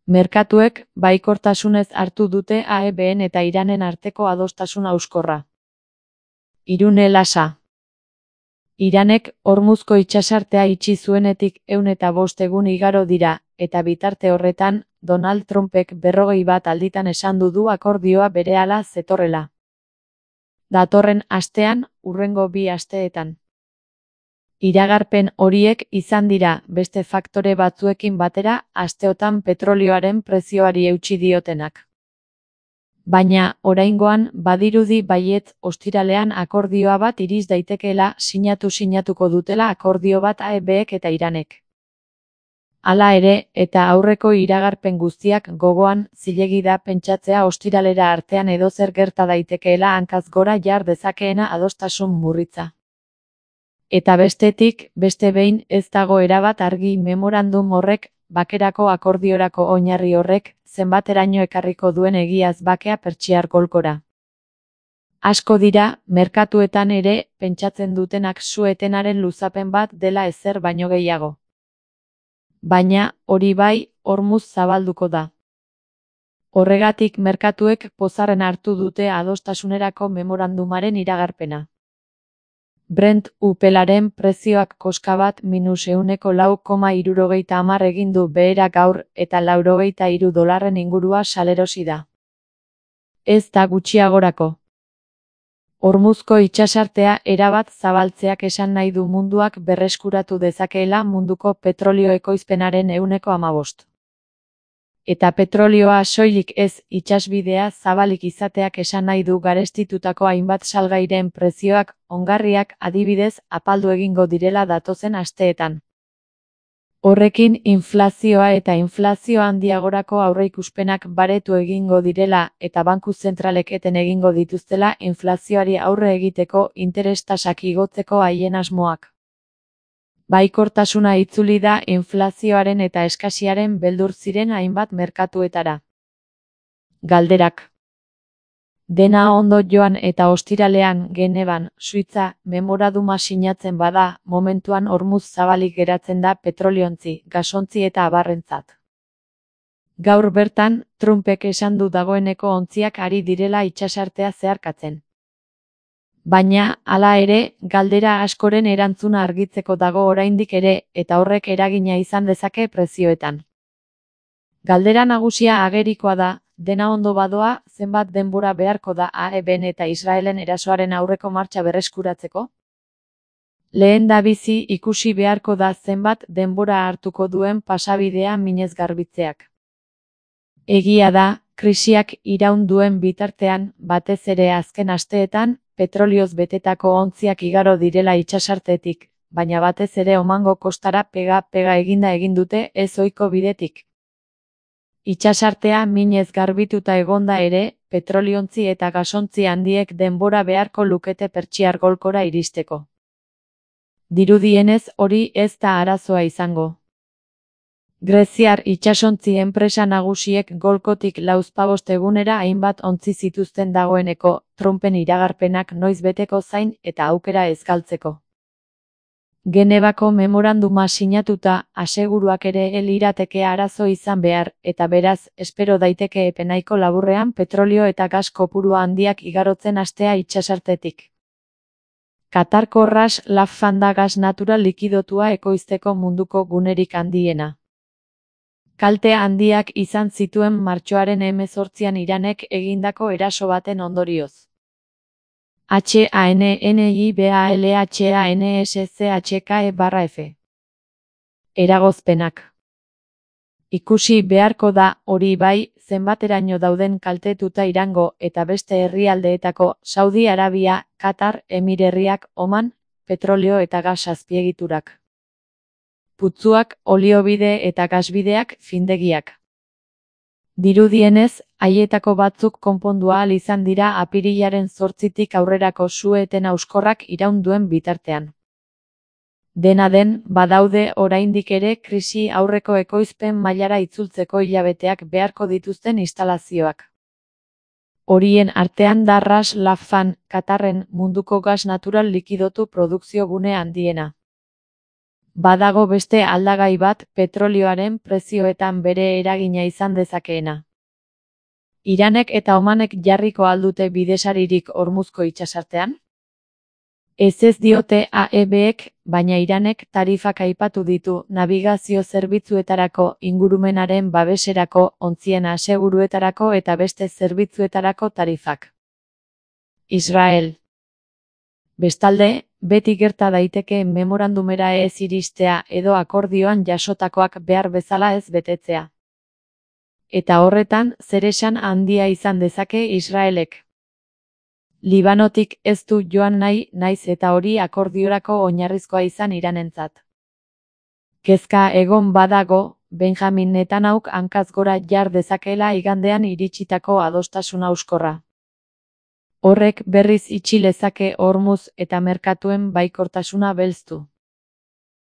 Merkatuek baikortasunez hartu dute AEBn eta Iranen arteko adostasun hauskorra. Irune Lasa. Iranek Hormuzko itsasartea itxi zuenetik 105 egun igaro dira, eta bitarte horretan, Donald Trumpek 41 alditan esan du akordioa berehala zetorrela. Datorren astean, hurrengo 2 asteetan. Iragarpen horiek izan dira, beste faktore batzuekin batera, asteotan petrolioaren prezioari eutsi diotenak. Baina, oraingoan, badirudi baietz ostiralean akordioa bat iriz daitekeela sinatuko dutela akordio bat AEBek eta Iranek. Hala ere, eta aurreko iragarpen guztiak gogoan, zilegi da pentsatzea ostiralera artean edozer gerta daitekeela hankaz gora jar dezakeena adostasun murritza. Eta bestetik, beste behin, ez dago erabat argi memorandum horrek, bakerako akordiorako oinarri horrek, zenbateraino ekarriko duen egiaz bakea Pertsiar golkora. Asko dira, merkatuetan ere, pentsatzen dutenak su-etenaren luzapen bat dela ezer baino gehiago. Baina, hori bai, Hormuz zabalduko da. Horregatik merkatuek pozarren hartu dute adostasunerako memorandumaren iragarpena. Brent upelaren prezioak koska bat -4,70 egin du behera gaur eta $93 ingurua salerosi da. Ez da gutxiagorako. Hormuzko itsasartea erabat zabaltzeak esan nahi du munduak berreskuratu dezakeela munduko petrolio ekoizpenaren 15%. Eta petrolioa soilik ez, itsasbidea zabalik izateak esan nahi du garestitutako hainbat salgairen prezioak, ongarriak adibidez, apaldu egingo direla datozen asteetan. Horrekin inflazioa eta inflazio handiagorako aurreikuspenak baretu egingo direla eta banku zentralek eten egingo dituztela inflazioari aurre egiteko interes tasak igotzeko haien asmoak. Baikortasuna itzuli da inflazioaren eta eskasiaren beldur ziren hainbat merkatuetara. Galderak. Dena ondo joan eta ostiralean Genevan, Suitza, memoranduma sinatzen bada, momentuan Hormuz zabalik geratzen da petroliontzi, gasontzi eta abarrentzat. Gaur bertan, Trumpek esan du dagoeneko ontziak ari direla itsasartea zeharkatzen. Baina, hala ere, galdera askoren erantzuna argitzeko dago oraindik ere, eta horrek eragina izan dezake prezioetan. Galdera nagusia agerikoa da, dena ondo badoa, zenbat denbora beharko da AEBn eta Israelen erasoaren aurreko martxa berreskuratzeko? Lehendabizi ikusi beharko da zenbat denbora hartuko duen pasabidea minez garbitzeak. Egia da, krisiak iraun duen bitartean, batez ere azken asteetan, petrolioz betetako ontziak igaro direla itsasartetik, baina batez ere omango kostara pega eginda egin dute ez ohiko bidetik. Itsasartea minez garbituta egonda ere, petroliontzi eta gasontzi handiek denbora beharko lukete Pertsiar golkora iristeko. Dirudienez hori ez da arazoa izango. Greziar itsasontzi enpresa nagusiek golkotik 45 egunera hainbat ontzi zituzten dagoeneko, Trumpen iragarpenak noiz beteko zain eta aukera ez galtzeko. Genevako memoranduma sinatuta, aseguruak ere lirateke arazo izan behar, eta beraz, espero daiteke epe nahiko laburrean petrolio eta gas kopurua handiak igarotzen hastea itsasartetik. Katarko Ras Laffan da gas natural likidotua ekoizteko munduko gunerik handiena. Kalte handiak izan zituen martxoaren 18an Iranek egindako eraso baten ondorioz. HANNIBALHANSCHKE/F. Eragozpenak. Ikusi beharko da, hori bai, zenbateraino dauden kaltetuta Irango eta beste herrialdeetako Saudi Arabia, Katar, Emirerriak, Oman, petrolio eta gas azpiegiturak. Putzuak, oliobide eta gasbideak, findegiak. Dirudienez, haietako batzuk konpondu ahal izan dira apirilaren 8tik aurrerako su-eten hauskorrak iraun duen bitartean. Dena den, badaude oraindik ere krisi aurreko ekoizpen mailara itzultzeko hilabeteak beharko dituzten instalazioak. Horien artean da Ras Laffan, Katarren munduko gas natural likidotu produkzio gune handiena. Badago beste aldagai bat petrolioaren prezioetan bere eragina izan dezakeena. Iranek eta Omanek jarriko al dute bidesaririk Hormuzko itsasartean? Ez diote AEBek, baina Iranek tarifak aipatu ditu nabigazio zerbitzuetarako, ingurumenaren babeserako, ontzien aseguruetarako eta beste zerbitzuetarako tarifak. Israel. Bestalde, beti gerta daiteke memorandumera ez iristea edo akordioan jasotakoak behar bezala ez betetzea. Eta horretan, zeresan handia izan dezake Israelek. Libanotik ez du joan nahi, naiz eta hori akordiorako oinarrizkoa izan Iranentzat. Kezka egon badago, Benjamin Netanyahuk hankaz gora jar dezakeela igandean iritsitako adostasun hauskorra. Horrek berriz itxi lezake Hormuz eta merkatuen baikortasuna belztu.